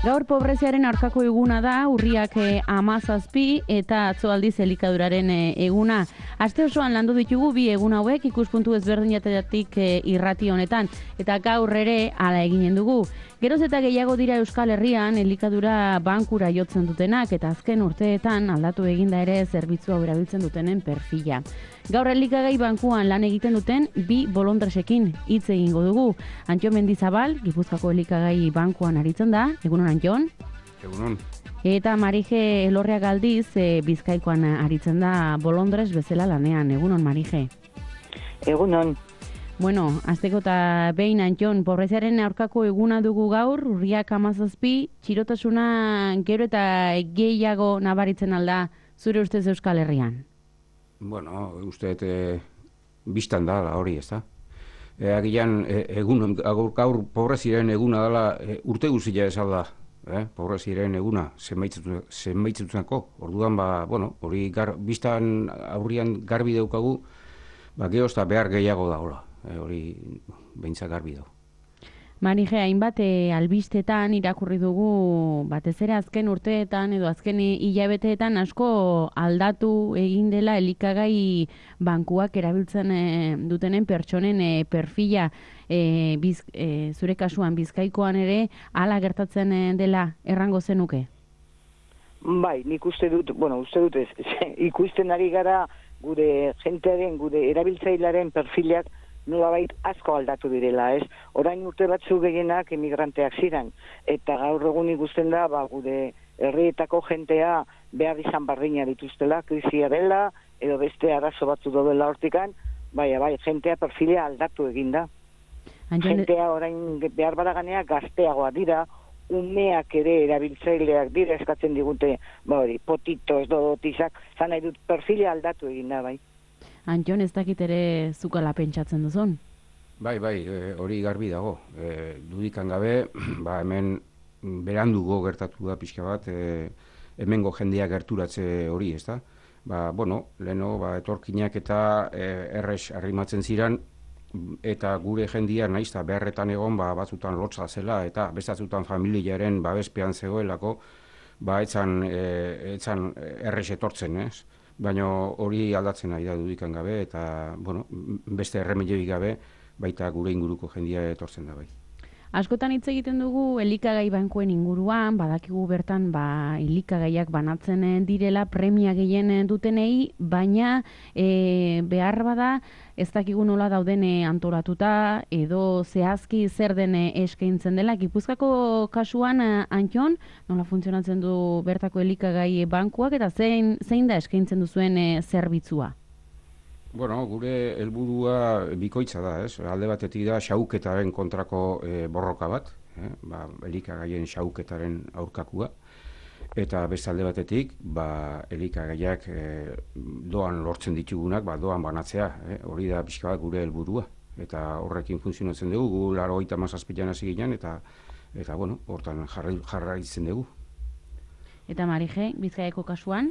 Gaur pobreziaren aurkako eguna da, urriak 17 eta atzo aldiz elikaduraren eguna. Aste osoan landu ditugu bi egun hauek ikuspuntu ezberdinetatik irrati honetan, eta gaur ere hala eginen dugu. Geroz eta gehiago dira Euskal Herrian elikadura bankura jotzen dutenak, eta azken urteetan aldatu eginda ere zerbitzua erabiltzen dutenen perfila. Gaur elikagai bankuan lan egiten duten bi bolondresekin hitz egingo dugu. Antxon Mendizabal, Gipuzkoako elikagai bankuan aritzen da. Egunon, Antxon? Egunon. Eta Marije Elorria Galdiz, Bizkaikoan aritzen da bolondres bezala lanean. Egunon, Marije? Egunon. Bueno, azteko eta behin, Antxon, pobreziaren aurkako eguna dugu gaur, urriak 17, txirotasuna gero eta gehiago nabaritzen alda zure ustez Euskal Herrian? Bueno, uste biztan da hori, ez da? Agian, gaur pobreziaren eguna dela urte guztia esalda, pobreziaren eguna, zenbaitzutzenako. Orduan, hori biztan aurrian garbi daukagu, gehoz eta behar gehiago dagoela, hori behintzak garbi dago. Marije, hainbat albistetan irakurri dugu, batez ere azken urteetan edo azken hilabeteetan asko aldatu egin dela elikagai bankuak erabiltzen dutenen pertsonen perfila. Zure kasuan Bizkaikoan ere hala gertatzen dela errango zenuke? Bai, nik uste dut ez, ikusten ari gara gure jentearen, gure erabiltzailearen perfilak nolabait asko aldatu direla, ez? Orain urte batzu gehienak emigranteak ziren, eta gaur egun ikusten da, gure herrietako jentea behar izan bardina dituztela, krisia dela, edo beste arazo batzu daudela hortikan, bai, jentea perfila aldatu eginda. Jentea orain behar badaganea gazteagoa dira, umeak ere erabiltzaileak dira eskatzen digute, potitos, dodotizak, zan nahi dut perfila aldatu eginda, bai. Antxon, ez dakit ere zukala pentsatzen duzun? Bai, hori garbi dago. Dudikan gabe, hemen berandugo gertatu da pixka bat, hemengo jendea gerturatze hori, ez da? Leheno, etorkinak eta errez arrimatzen ziren, eta gure jendia naiz eta beharretan egon, batzutan lotza zela, eta bestatzutan familiaren babespean zegoelako, etzan errez etortzen, ez? Baina hori aldatzen nahi da dudikan gabe, eta beste erremedioik gabe, baita gure inguruko jendia etortzen da bai. Askotan hitz egiten dugu elikagai bankuen inguruan, badakigu bertan elikagaiak banatzen direla premia gehien dutenei, baina behar bada ez dakigu nola dauden antolatuta edo zehazki zer den eskaintzen dela. Gipuzkoako kasuan, Antxon, nola funtzionatzen du bertako elikagai bankuak eta zein da eskaintzen duzuen zerbitzua? Gure helburua bikoitza da, ez? Alde batetik da xauketaren kontrako borroka bat, elikagaien xauketaren aurkakua, eta beste alde batetik, elikagaiak doan lortzen ditugunak, doan banatzea, hori da pixka bat gure helburua, eta horrekin funtzionatzen dugu, gu 97an hasi ginen, eta hortan jarraitzen dugu. Eta Marije, Bizkaiako kasuan?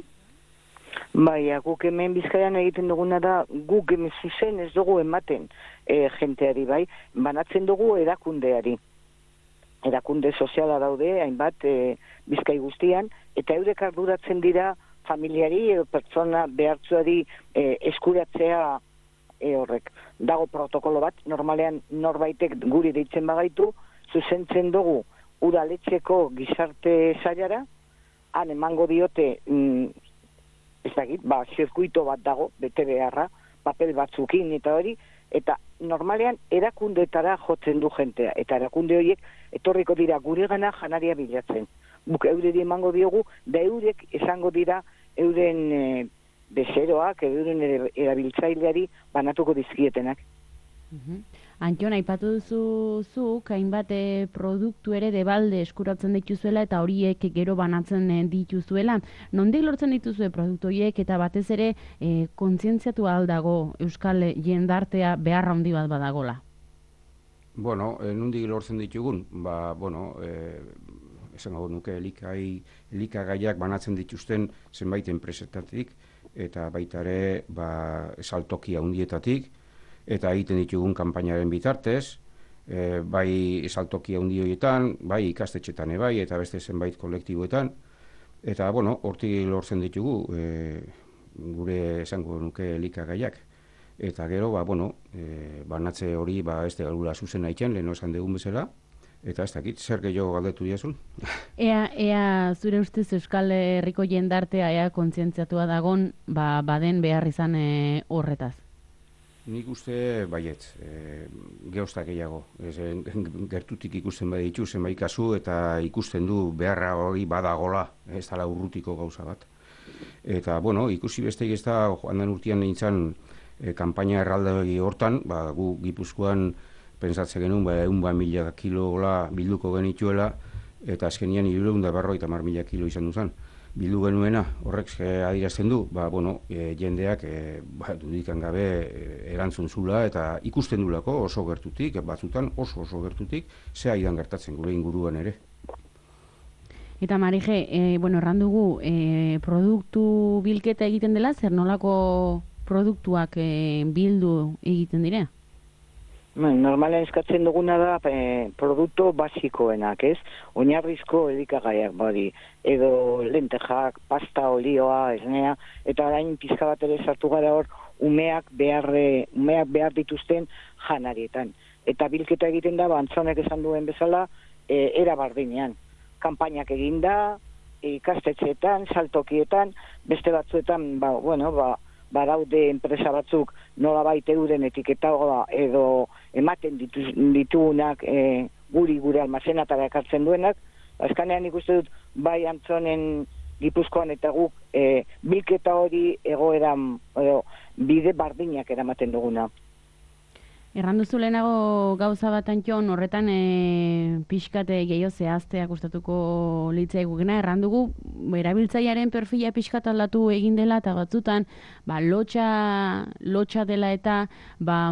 Bai, guk hemen Bizkaian egiten duguna da, guk hemen zuzen ez dugu ematen jenteari, bai, banatzen dugu erakundeari. Erakunde soziala daude, hainbat Bizkai guztian, eta eurek arduratzen dira familiari edo pertsona behartzuari eskuratzea horrek. Dago protokolo bat, normalean norbaitek guri deitzen bagaitu, zuzentzen dugu udaletxeko gizarte sailara, han emango diote ez dakit, zirkuito bat dago, bete beharra, papel batzukin eta hori, eta normalean erakundeetara jotzen du jentea, eta erakunde horiek etorriko dira gure gana janaria bilatzen. Buk eureri emango diogu, da eurek esango dira euren bezeroak, euren erabiltzaileari banatuko dizkietenak. Antxon, aipatu duzuzuk, hainbat produktu ere debalde eskuratzen dituzuela eta horiek gero banatzen dituzuela. Nondik lortzen dituzue produktu horiek eta batez ere kontzientziatu aldago Euskal jendartea beharra handi bat badagola? Nondik lortzen ditugun? Esan gau nuke elikagaiak banatzen dituzten zenbait enpresetatik eta baita ere saltoki handietatik, eta egiten ditugun kanpainaren bitartez, bai saltoki handi horietan, bai ikastetxetan bai, eta beste zenbait kolektiboetan, eta, bueno, hortik lortzen ditugu, gure esango nuke elikagaiak. Eta gero, bueno, banatze hori, ez da galula zuzen aitzen, leheno esan dugun bezala, eta ez dakit, zer gehiago galdetu diazun? Ea zure ustez Euskal Herriko jendartea ea kontzientziatua dagon, baden behar izan horretaz? Nik uste baiet, geostak gehiago. Gertutik ikusten baditu zenbait kasu eta ikusten du beharra hori badagola, ez dela urrutiko gauza bat. Eta, bueno, ikusi besteik ez da, joan den urtean nintzen kanpaina erraldoi hortan, gu Gipuzkoan pentsatze genuen, 100.000 kilola bilduko genituela, eta azkenian 350.000 kilo izan duzan. Bildu genuena, horrek adierazten du, jendeak dudikan gabe erantzun zula eta ikusten dulako oso gertutik, batzutan oso gertutik, ze aidan gertatzen gure inguruan ere. Eta Marije, erran dugu, produktu bilketa egiten dela, zer nolako produktuak bildu egiten dira? Normalen eskatzen duguna da produktu basikoenak, ez? Oinarrizko elikagaiak badi, edo lentejak, pasta, olioa, esnea, eta orain pizka bat ere sartu gara hor umeak behar dituzten janarietan. Eta bilketa egiten da, Antzonek esan duen bezala, era bardinean. Kanpainak eginda, ikastetxeetan, saltokietan, beste batzuetan, badaude enpresa batzuk nolabait euren etiketa edo ematen ditugunak gure almazenatara ekartzen duenak. Azkanean ikuste dut bai Antzonen Gipuzkoan eta guk bilketa hori egoeran bide bardinak eramaten duguna. Erran duzu lehenago gauza bat Antxon, horretan pixkate gehiago zehaztea gustatuko litzaigukena. Erran dugu erabiltzailearen perfila pixkat aldatu egin dela eta batzutan lotxa dela eta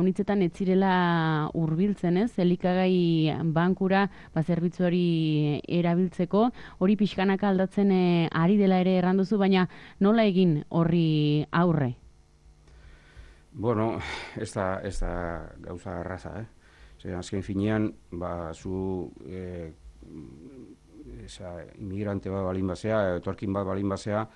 unitzetan ez zirela hurbiltzen, ez? Elikagai bankura zerbitzu hori erabiltzeko, hori pixkanaka aldatzen ari dela ere erran duzu, baina nola egin horri aurre? Bueno, ez da gauza arraza, azken finean, zu inmigrante bat balin basea, etorkin bat balin basea,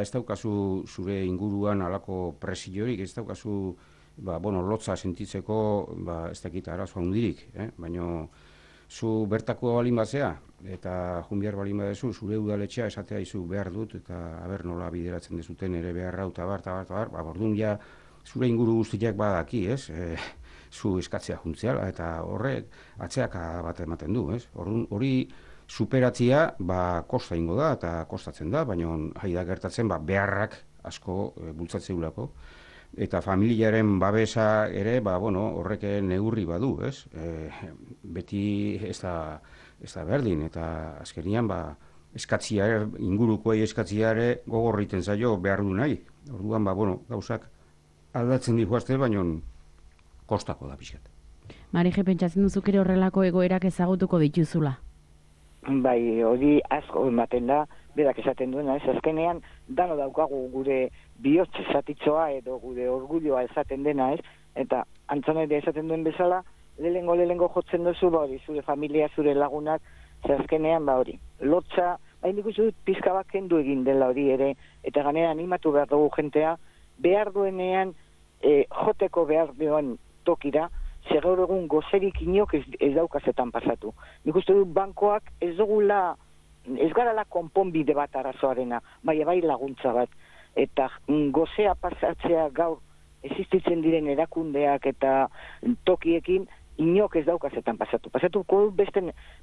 ez daukazu zure inguruan alako presiorik, ez daukazu lotza sentitzeko, ez dakit arazo handirik, baina zu bertako balin basea, eta junbiar balin badezu, zure udaletxea esatea izu behar dut, eta haber nola bideratzen dezuten ere beharra, eta bar, orduan ja, zure inguru guztiak badaki, ez? Zu eskatzea juntziala, eta horrek atzeak bat ematen du, ez? Hori superatzea, kosta ingo da, eta kostatzen da, baina haida gertatzen, beharrak asko bultzatzeulako. Eta familiaren babesa ere, horrek neurri badu, ez? Beti ez da berdin, eta azkenian, eskatzia, ingurukoei eskatzia ere gogorriten zaio behar du nahi. Orduan, gauzak aldatzen dihuazte, baina kostako da pixkat. Marije, pentsatzen duzuk ere horrelako egoerak ezagutuko dituzula? Bai, hori asko ematen da, berak esaten duena, ez azkenean, dano daukagu gure bihotz esatitzoa edo gure orgulloa esaten dena, ez? Eta Antzonek esaten duen bezala, lehengo jotzen duzu, zure familia, zure lagunak, azkenean, hori, lotza, nik uste dut pizka bat kendu egin dela hori ere, eta ganera animatu behar dugu jentea, behar duenean joteko behar duen tokira, zer gaur egun gozerik inok ez daukazetan pasatu. Nik uste dut bankoak ez garala konponbide bat arazoarena, bai laguntza bat. Eta gozea pasatzea gaur existitzen diren erakundeak eta tokiekin inok ez daukazetan pasatu. Pasatuko beste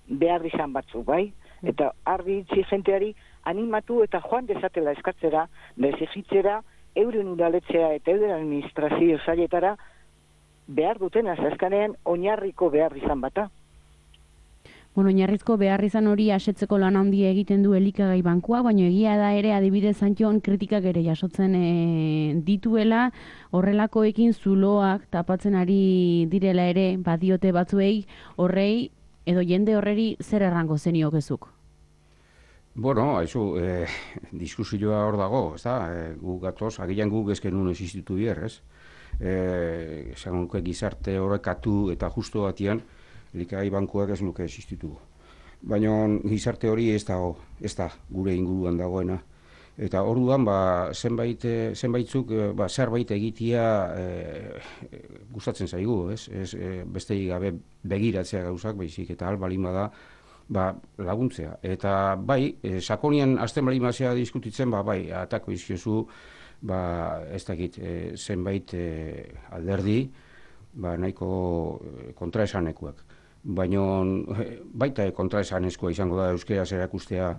behar izan batzuk, bai? Eta argi itzi jenteari animatu eta joan dezatela eskatzera, dezigitzera, euren udaletzea eta euren administrazio zailetara behar dutena, azkanean oinarriko behar izan bata. Oinarrizko behar izan hori asetzeko lan handia egiten du elikagai bankua, baina egia da ere adibidez Antxon kritikak ere jasotzen dituela, horrelakoekin zuloak tapatzen ari direla ere badiote batzuei, horrei edo jende horreri zer errango zeniokezuk? Bueno, diskusioa hor dago, ez da, guk gatoz, agian guk ezken nun existitu bier, ez? Esan gizarte horrekatu eta justo batian, elikagai bankuak ez luke existituko. Baina gizarte hori ez da gure inguruan dagoena. Eta orduan zenbaitzuk zerbait egitea gustatzen zaigu, ez? Besterik gabe begiratzea gauzak, baizik eta balin bada laguntzea. Eta bai, sakonian azten balin bazea diskutitzen, bai, atako izkiozu, ez dakit, zenbait alderdi, nahiko kontraesanekuak. Baina baita kontraesanezkoa izango da euskeraz erakustea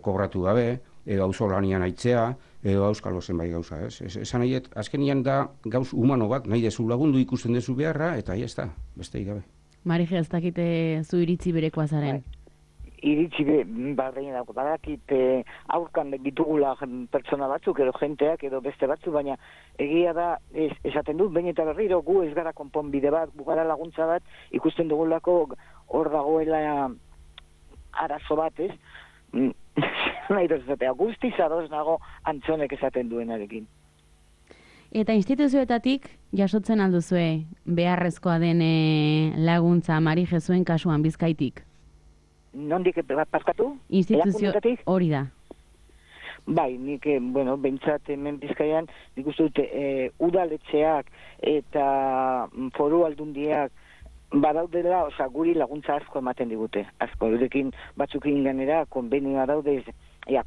kobratu gabe, edo auzolanian aitzea, edo auskalo zenbait gauza, ez? Esan nahi, azkenian da gauz humano bat, nahi dezu lagundu ikusten dezu beharra, eta ez da, besterik gabe. Marije, ez dakite zu iritzi berekoa zaren? Iritzi barrein dago, badakit aurkan ditugula pertsona batzuk, edo jenteak, edo beste batzuk, baina egia da, esaten dut, behin eta berriro, gu ez gara konponbide bat, gu gara laguntza bat, ikusten dugulako hor dagoela arazo bat, ez? Nahi dozatea, guztiz ados nago Antzonek esaten duenarekin. Eta instituzioetatik jasotzen alduzue beharrezkoa den laguntza Marije zuen kasuan Bizkaitik? Nondik paskatu? Instituzio hori da. Bai, nik, behintzat hemen Bizkaian, nik uste dute udaletxeak eta foru aldundiak badaudela, guri laguntza asko ematen digute. Asko, eurekin batzukin ganera, konbenioa daude,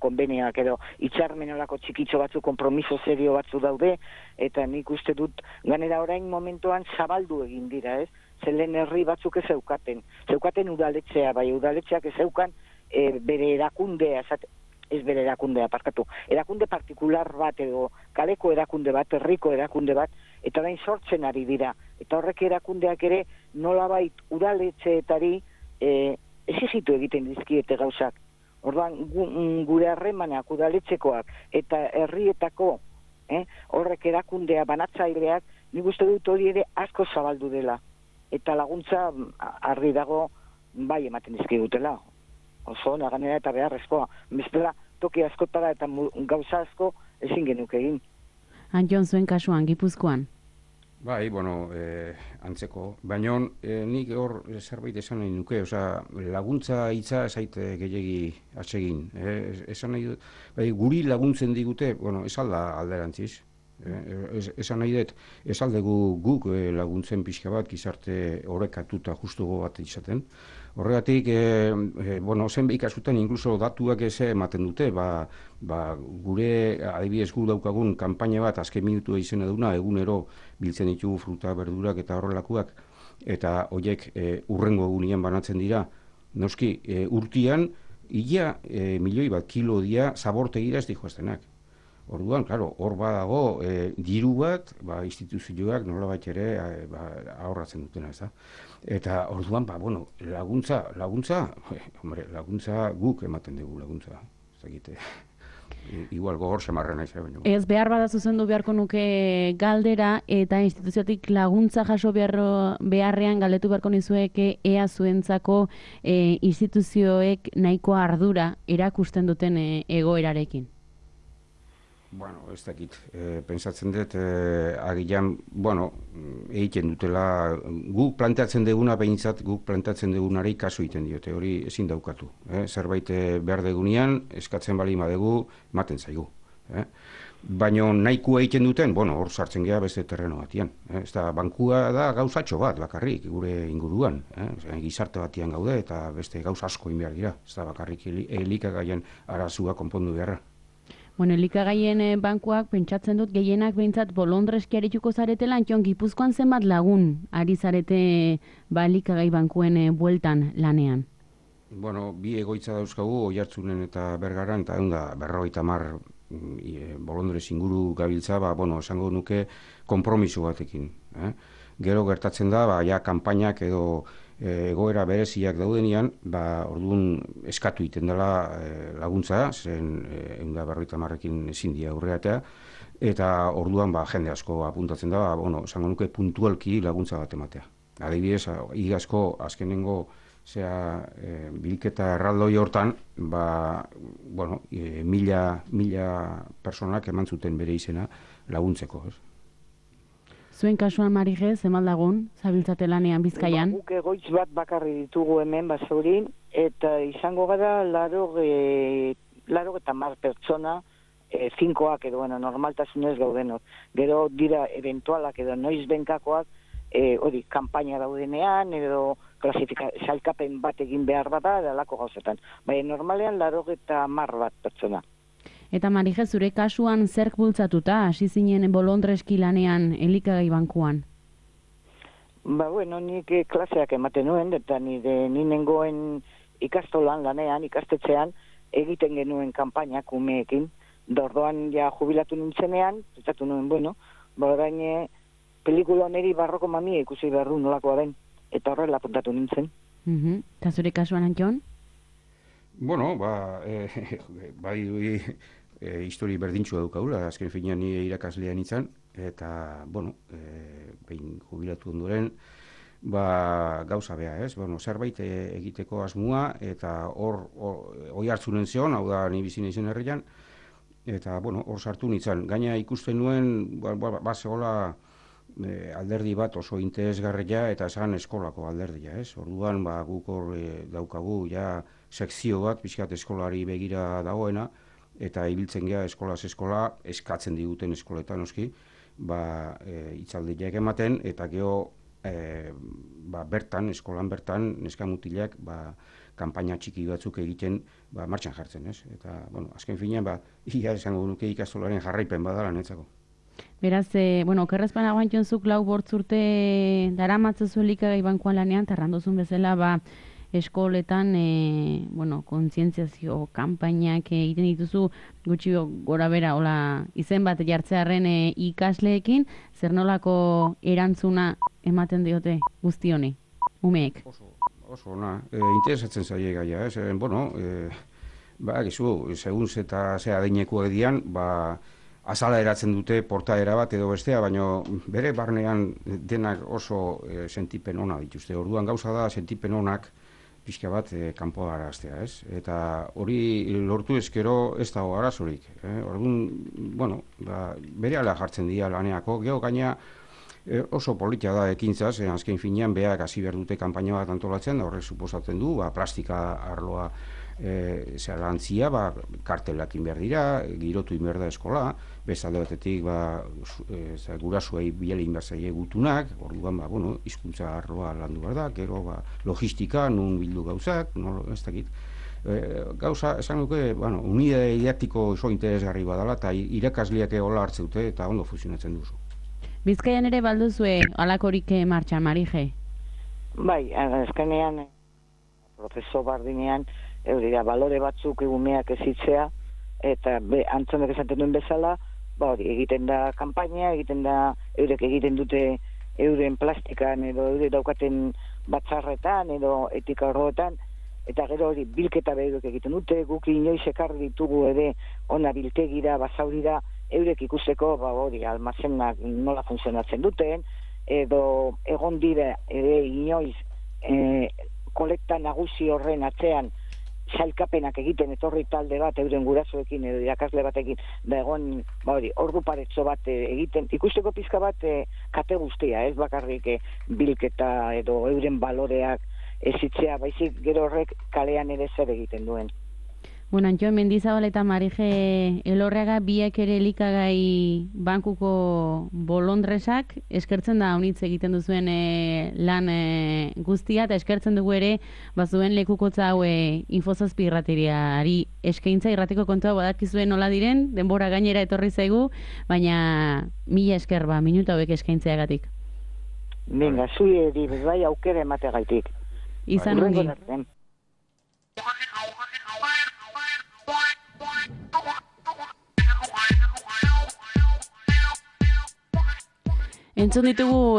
konbenioak edo itxarmenolako txikitxo batzu, kompromiso serio batzu daude, eta nik uste dut ganera orain momentuan zabaldu egin dira, ez? Zelen herri batzuk ez zeukaten udaletxea, bai udaletxeak ez zeukan bere erakundea, ez bere erakundea, erakunde partikular bat edo kaleko erakunde bat, herriko erakunde bat, eta orain sortzen ari dira. Eta horrek erakundeak ere nolabait udaletxeetari exigitu egiten dizkiete gauzak. Orduan gure harremanak udaletxekoak eta herrietako horrek erakundea banatzaileak, nik uste dut hori ere asko zabaldu dela. Eta laguntza argi dago bai ematen dizkigutela. Oso naganera eta beharrezkoa. Bestela toki askotara eta gauza asko ezin genuke egin. Antjon zuen kasuan, Gipuzkoan? Bai, antzeko. Baina nik hor zerbait esan nahi nuke, laguntza hitza zaite gehiagi atsegin. Esan nahi dut, guri laguntzen digute, ez alda alderantziz. Esan nahi dut, ez aldegu guk laguntzen pixka bat, gizarte horrekatuta justugo bat izaten. Horregatik, zenbait kasutan inkluso datuak ez ematen dute, gure adibidez gu daukagun kanpaina bat azken minutua izena duna, egunero biltzen ditugu fruta, berdurak eta horrelakoak, eta horiek urrengo egunean banatzen dira. Noski, urtian, ia milioi bat kilo dia zabortegira ez dihoaztenak. Orduan, hor badago diru bat, instituzioak nolabait ere ahorratzen dutena, ez da. Eta orduan, laguntza guk ematen dugu laguntza. Ez dakite, igual gogor semarra naiz. Ez behar bada zuzendu beharko nuke galdera, eta instituziotik laguntza jaso beharrean galdetu beharko nizueke ea zuentzako instituzioek nahiko ardura erakusten duten egoerarekin. Ez dakit, pentsatzen dut, agian, egiten dutela, guk planteatzen duguna behintzat, guk planteatzen dugunari kasu egiten diote, hori ezin daukatu. Zerbait behar degunean, eskatzen bali madegu, ematen zaigu. Baina nahikoa egiten duten, hor sartzen geha beste terreno batian. Ez da, bankua da gauzatxo bat, bakarrik, gure inguruan. Gizarte batian gaude, eta beste gauz asko inbehar dira. Ez da, bakarrik elikagaien arazua konpondu beharra. Elikagaien bankuak pentsatzen dut gehienak behintzat bolondreski arituko zaretela, Antjon, Gipuzkoan zenbat lagun ari zarete elikagai bankuen bueltan lanean? Bi egoitza dauzkagu, Oiartzunen eta Bergaran, eta 150 bolondrez inguru gabiltza, esango nuke konpromiso batekin. Gero gertatzen da, kanpainak edo egoera bereziak daudenean, orduan eskatu egiten dela laguntza, zen 150ekin ezin dira aurreatea, eta orduan jende asko apuntatzen da, esango nuke puntualki laguntza bat ematea. Adibidez, igazko azkenengo bilketa erraldoi hortan, 1000 personak eman zuten bere izena laguntzeko. Zuen kasuan, Marije, zemaldagun, zabiltzate lanean Bizkaian? Guk egoitz bat bakarri ditugu hemen Basaurin, eta izango gara laro eta mar pertsona, finkoak edo, bueno, normaltasunez gaudenok. Gero dira eventualak edo noiz benkakoak, hori, kanpaina daudenean, edo salkapen bat egin behar bada, edalako gauzetan. Baina normalean laro eta mar bat pertsona. Eta Marije, zure kasuan zerk bultzatuta, hasi zinen bolondreski lanean elikagai bankuan? Bueno, nik klaseak ematen nuen, eta ni nengoen ikastolan lanean, ikastetxean, egiten genuen kanpainak umeekin. Dordoan ja jubilatu nintzenean, pentsatu nuen, bueno, orain pelikula honeri barroko mamia ikusi behar du nolakoa den, eta horrela apuntatu nintzen. Eta zure kasuan, Antxon? Bueno, bai histori berdintxua daukaula, azken finean ni irakaslea nintzen, eta, bueno, behin jubilatu ondoren, gauza beha, ez? Bueno, zerbait egiteko asmoa, eta hor hartzunen zeon, hau da ni bizi naizen herrian, eta, bueno, hor sartu nintzen. Gaina ikusten nuen, zegoela alderdi bat oso interesgarria eta esan eskolako alderdia, ez? Orduan, guk hor daukagu, ja, sekzio bat, pixkat eskolari begira dagoena, eta ibiltzen gea eskolaz eskola, eskatzen diguten eskoletan, oski, itzaldiak ematen, eta geho, bertan, eskolan bertan, neskamutilak, kanpaina txiki batzuk egiten, martxan jartzen, ez? Eta, bueno, azken finean, ia esango nuke ikastolaren jarraipen badala netzako. Beraz, okerrezpana guantxonzuk 4 urte daramatzazu elikagai bankuan lanean, tarrandozun bezala, eskoletan, kontzientziazio kanpainak egiten dituzu, gutxi gora bera, izen bat jartzearen ikasleekin, zer nolako erantzuna ematen diote guzti honi, umeek? Oso, interesatzen zaie gaia, ez? Gizu, segun eta ze adineko edian, azala eratzen dute portaera bat edo bestea, baina bere barnean denak oso sentipen ona dituzte. Orduan gauza da sentipen onak pixka bat kanpoa araztea, ez? Eta hori lortu ezkero ez dago arazorik. Orduan, bere ala jartzen dira laneako, geho gaina oso politia da ekintzaz, azken finean behar hasi behar dute kanpaina bat antolatzen, horrek suposatzen du, plastika arloa zelantzia, kartelakin behar dira, girotu inber da eskola, bezalde batetik gurasuei bielin behar zaie gutunak, orduan, hizkuntza arloa landu behar da, gero logistika, nun bildu gauzak, ez dakit. Gauza, esan duke, unidade didaktiko oso interesgarri badala, eta irakasleak hola hartzeute, eta ondo funtzionatzen duzu. Bizkaian ere balduzue alakorik martxan, Marije? Bai, azkenean, prozeso bardinean, balore batzuk egumeak ezitzea, eta antzonek esaten duen bezala, egiten da kanpaina, eurek egiten dute euren plastikan, edo eurek daukaten batzarretan, edo etika horretan, eta gero hori bilketa behiruk egiten dute, guk inoiz ekarri ditugu ere ona biltegira, Basaurira, eurek ikusteko, almazenak nola funtzionatzen duten, edo egon dira ere inoiz kolekta nagusi horren atzean sailkapenak egiten etorri talde bat euren gurasoekin edo irakasle batekin, da egon ordu paretzo bat egiten, ikusteko pizka bat kate guztia, ez bakarrik bilketa edo euren baloreak ezitzea, baizik gero horrek kalean ere zer egiten duen. Antxon, Mendizabal eta Marije Elorriaga biek ere elikagai bankuko bolondresak, eskertzen da honitz egiten duzuen lan guztia, eta eskertzen dugu ere bazuen lekukotza hau Infozazpi irratiriari eskaintza irratiko kontua badakizuen nola diren, denbora gainera etorri zaigu, baina mila esker minuta hauek eskaintzeagatik. Venga, zui edi, bai aukera emategaitik. Izan ongi. Entzun ditugu